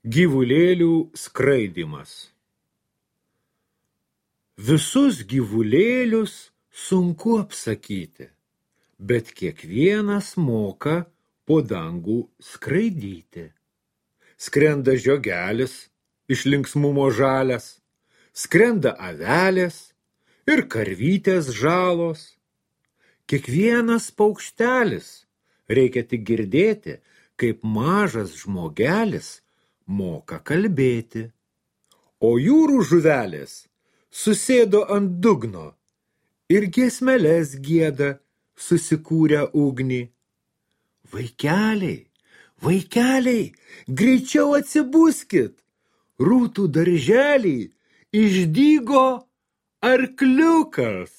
Gyvulėlių skraidymas. Visus gyvulėlius sunku apsakyti, bet kiekvienas moka po dangų skraidyti. Skrenda žiogelis, iš linksmumo žalias, skrenda avelės ir karvytės žalos. Kiekvienas paukštelis reikia tik girdėti, kaip mažas žmogelis moka kalbėti. O jūrų žuvelės susėdo ant dugno ir giesmeles gieda susikūrę ugnį. Vaikeliai, vaikeliai, greičiau atsibuskit, rūtų darželį išdygo arkliukas.